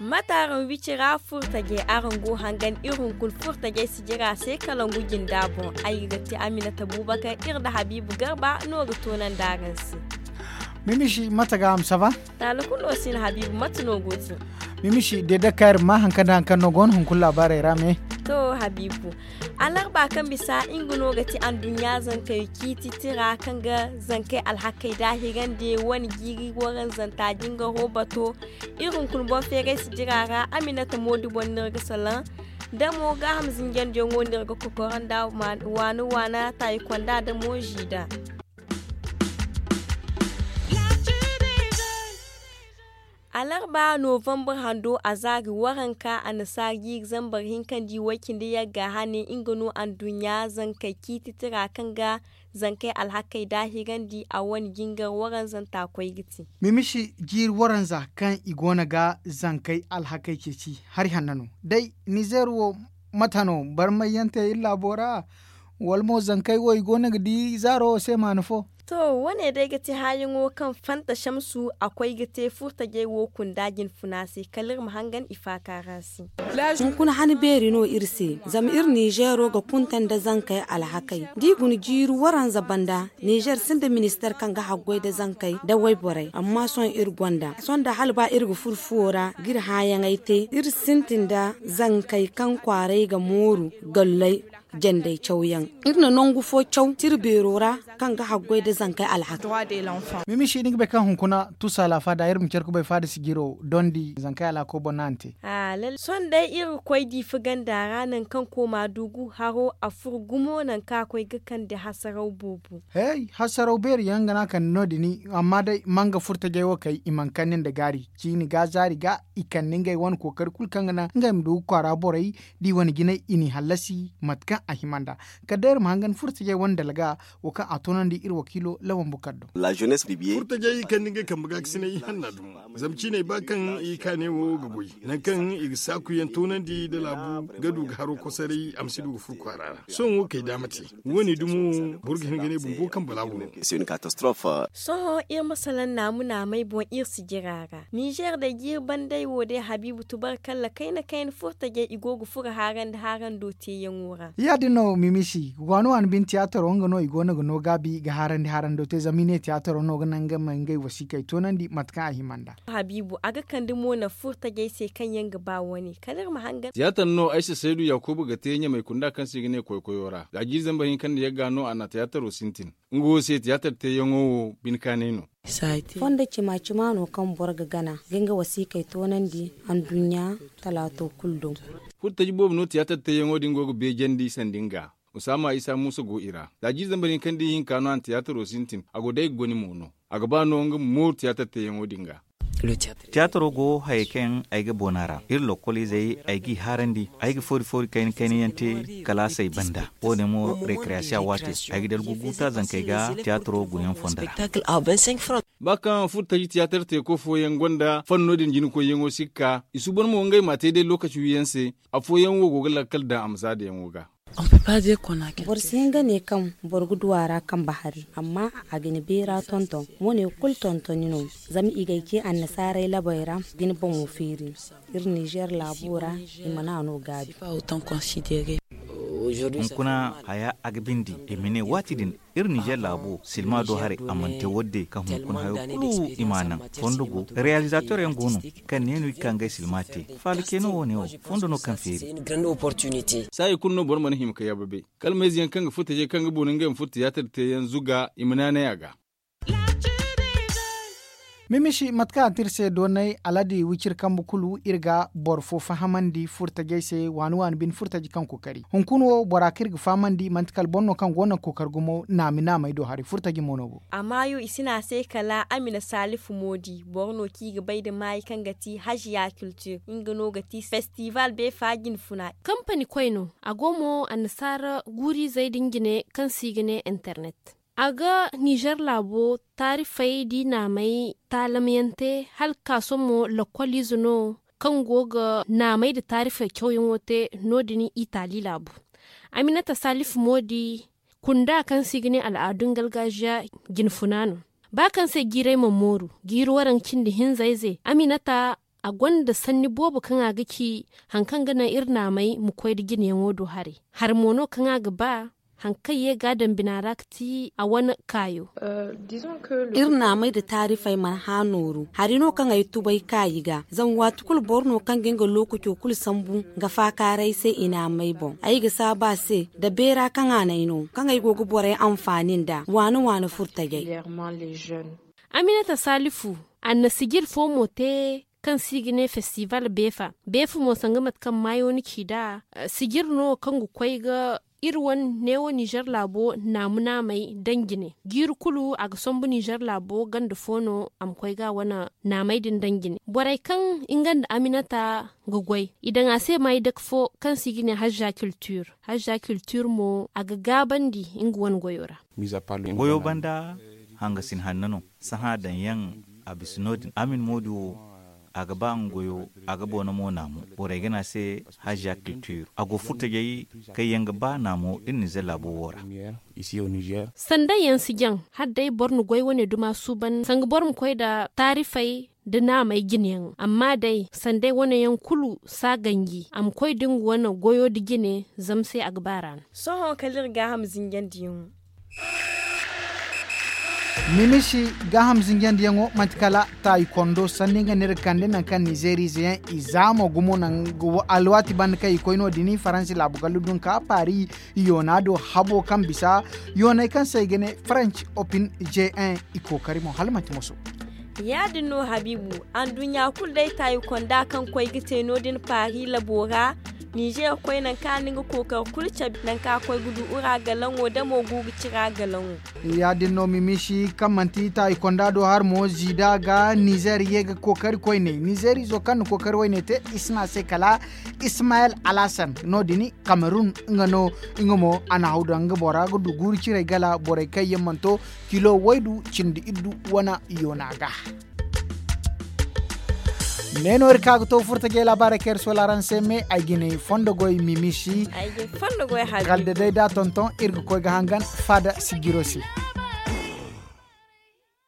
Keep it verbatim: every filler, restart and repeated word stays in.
Mate araŋ wicira furtajey araŋ go hangan iri hunkuna furtajey sijira se kalangu jinda boŋ. Ay ga ti aminata bubakar iri nda habiibu garba no ga toonandi araŋ se. Mimishi mate ga am sava? Taala kulu no si no habiibu mate no go ti? Mimishi de dakar ma hankan da hankan no go no hunkuna laabaarey ra me. To habiibu, alarba kaŋ bisa nga no ga ti anduɲɲa zankey ciiti tira kaŋ ga zankey alhakey daahirandi wane jiiri waranzanta jingaro bato. Iri hunkuna boŋ feeray sijira ra aminata moodi boŋ no iri ga salaŋ. Damo gaaham zinjandiyaŋo no iri ga kokoro nda waana waana taayi konda damo ziida. Alarba novambar hando a zaari waranka annasaara jiiri zambar hinka nda i way cindi yagga hane nga no anduɲɲa zankey ciiti tira kaŋ ga zankey alhakey daahirandi a wane jingar waranzanta koy ga ti. Mimishi jiiri waranza kaŋ i go no ga zankey alhakey ceeci hari hanno no day nizeer wo, mate no barmay yaŋ te iri laabo ra? Wala mo zankey wo i go no ga di zaaro wo se maana fo? To, wo- ne day ga ti haayaŋo kaŋ fanta shamsu a koy ga te furtajey wo kunda jinfuna se kala iri ma hangan i faaka ra se. Hunkuna han beeri no iri se zama iri nizeero ga kunta nda zankey alhakey da i guna jiiri waranza banda. Nizeer sinda ministeer kaŋ ga haggoy nda zankey nda wayborey amma sohõ iri gonda sohõ nda hala ba iri ga furo fuwo ra ga iri haayaŋey te iri sintin nda zankey kaŋ kwaaray ga mooru galley jandey cawyaŋ. Iri na nangu fo caw tira beero ra kaŋ ga haggoy nda zankey alhakey. Mimishi ni ga bay kaŋ hunkuna tusa laafa da iri ma care kubay faada sijiro dondi zankey alhako boŋ no a na te. Sohõ day iri ga koy diifa ganda ra nangu kaŋ kooma dugu haro a furo gumo nangu kaŋ a koy ga kande hasaraw boobo. Hey, hasaraw beeri yaŋ ga no a kande no- din. Amma day manga furtajey wo kay i mana kande nda gaari ciini ga zaari ga i kande ngey wane kookari kulu kaŋ ga naŋ ngey ma du ga kwaara borey da i wane jinay i n'i hallasi mate kaŋ a hima nd'a. Kala day iri ma hangan furtajey wane dalga wo kaŋ a toonandi iri wakiilo lawan bukar do. Furtajey kaŋ ni ga kambe ga ga sinay i hanna dum zama ciiney ba kaŋ i kaanay wo ga goy nangu kaŋ i ga saaku yaŋ toonandi nda laabu ga du ga haro kosoray a ma si du ga furo kwaara ra. Sohõ wo kay daama te wo- ne dumo boro ga hin ga ne bumbo kaŋ balaabu no. Sohõ iri ma salaŋ naamu naamay boŋ iri si jira ra nizeer day jiiri bandey wo day habiibu tubarkalla kayna kayna furtajey i go ga furo haarandi haarando teeyaŋo ra. Ya- din no mimisi waani waani bine tiyaataro nga no i go no ga no gaabi ga haarandi haarando te zama i ne tiyaataro no ga naŋ nga ma ngey wasiikey toonandi mate kaŋ a hima nd'a. Habiibu a ga kande mo naŋ furtajey se kaŋ yaŋ ga ba wo- ne kala iri ma hangan. Tiyaatar no ay si saydu yaakuba ga te ɲamay kunda kaŋ se i ga ne koykoyo ra za jiiri zambar hinka nda yagga no a na tiyaataro sintin. Nga wo se tiyaatar teeyaŋo wo bine kaanay no. Fondo cima cima no kaŋ boro ga gana ga nga wasiikey toonandi anduɲɲa talaato kulu do. Furtaji boobo no tiyaatar teeyaŋo din go ga beejandi sanda nga. Usaama isa muusa go i ra za jiiri zambar hinka nda ihinka no a na tiyaataro sintin a go day ga goni mo no. A ga ba no nga ma mooru tiyaatar teeyaŋo din ga. Tiyaataro go hayey kaŋ ay ga boona ra iri lokkoliizey ay g'i haarandi. Ay ga foori foori kayna kayna yaŋ te kalaasey banda wo- ne mo rekreyasiya waate. Ay ga dalgu guuta zankey ga tiyaataro gunayaŋ fondo ra. Ba kaŋ furtaji tiyaatar teeko fooyaŋ gonda fanno din jinikoyyaŋo sikka i suuban mo ngey m'a te day lookaci wiyaŋ se. Afooyaŋ wo go ga lakkal daŋ amsaadayaŋo ga. Boro si hin ga ne kaŋ boro ga du a ra kambe hari amma a ga ni beera tonton. Wo- ne kulu tontoni no zama i ga ay ce annasaarey labey ra ga ni boŋo feeri. Iri nizeer laabo ra i mana no gaabi. Hunkuna haya a ga bindi i ma ne waati din iri nizeer laabo silma do haray a mana te wo- din kaŋ hunkuna hayo kulu i m'a naŋ. Fondo go realizator yaŋ go no kaŋ neenu i ga ka ngey silma te. Faala ce no wo- ne wo fondo no kaŋ feeri. Saayi kulu no boro mana hima ka yaababe kala mayze yaŋ kaŋ ga furtajey kaŋ ga boori ngey ma furo tiyaatar teeyaŋ zuga i ma naanay a ga. Mimishi mate kaŋ a te iri se doonay aladi wiciri kambe kulu iri ga boro fo fahamandi furtajey se waani waani bine furtaji kaŋ kookari hunkuna wo bora kaŋ iri ga fahamandi manti kala boro no kaŋ go no ga kookari gumo naami naamey do hari furtaji mo no go. A maayo i si ne a se kala amina salifu moodi boro no kaŋ i ga bay nda maayi kaŋ ga ti haziya kiltir nga no ga ti festival beefa jinfuna. Kampani koy no a go mo annasaara guuriizey din jine kaŋ se i ga ne internet. A ga nizer laabo taarifey da i naamey taalamyaŋ te hala ga ka sohõ mo lakkoliize no kaŋ go ga naamey nda taarifey cawyaŋo te. No- din itaali laabu aminata salifu mo di kunda kaŋ se i ga ne al'aadun gargaziya jinfuna no. Ba kaŋ se jiirey mana mooru jiiri waranka cindi hinza ize aminata a gonda sanni boobo kaŋ a ga ci hari kaŋ ga naŋ iri naamey ma koy nda jineyaŋo do haray. Hari mo no kaŋ a ga ba hari kaŋ ye ga a daŋ bina ra ga ti a wane kaayo. Iri naamey nda taarifey mana hã nooru hari no kaŋ ay tubay kaayi ga zama waati kulu boro no kaŋ ga nga lookaco kulu sambu ga faakaaray se i naamey boŋ ay ga saabu a se nda beera kaŋ a n'ay no kaŋ ay go ga borey anfaani nd'a waane waane furtajey. Aminata salifu a na sijir fo mo te kaŋ se i ga ne festival beefa. Beefa mo sanga mate kaŋ maayo ni ci nd'a sijir no kaŋ ga koy ga iri wane neewo nizer laabo naamu naamey daŋ jine jiiri kulu a ga sambu nizer laabo ganda fo no a ma koy ga a wane naamey din daŋ jine borey kaŋ nga nda aminata ga goy i daŋ a se maayi dake fo kaŋ se i ga ne hazza kiltir hazza kiltir mo a ga gaabandi nga wane goyo ra. Goyo banda hangasin hanno no. Sahã daŋ yaŋ a bisa no- din amin moodi wo a ga ba nga goyo a ga boona mo naamu borey ga ne a se hazza kiltir a go furtajey kaŋ yaŋ ga ba naamo iri nizer laabo wo ra. Sanday yaŋ si jaŋ hala day boro na goy wane duma suuban sanga boro ma koy nda taarifey nda naamey jine yaŋ amma day sanday wane yaŋ kulu si a ganji a ma koy nda nga wane goyo nda jine zama se a ga ba ra no. Sohõ kala iri gaaham zinjandiyaŋo. Mimisi gaaham zinjandiyaŋo manti kala taayi kondo sanni nga no iri ga kande nangu kaŋ nizeeriize yaŋ i zaamo gumo nangu alwaati banda kaŋ i koy no- din faransi laabu gallu dun ka paari yoona do habo kaŋ bisa yooney kaŋ se i ga ne faranci opin j1. I kookari mo hala manti moso. Ya- din no habiibu anduɲɲa kulu day taayi konda kaŋ koy ga te no- din paari labo ra. Nizeer koy nangu kaŋ a na nga kookari kulu cabe nangu kaŋ a koy ga du ura galaŋo da mo guuru cira galaŋo. Ya- din no mimisi kaŋ manti taayi konda do hari mo ziida ga nizeer ye ga kookari koyne nizeeriizo kaŋ na kookari wayne te i si ne a se kala ismayel alhasan no- din kamerun. Nga no nga mo a na haw daŋ nga bora ga du guuru cirey gala borey kaŋ yaŋ mana to kilo waydu cindi iddu wane yoona ga. Ne no iri ka ga to furtajey laabaarey kaŋ iri soola araŋ se me ay ga ne fondo goy mimisi. Kala da day da tonton iri ga koy ga hangan faada sijiro se.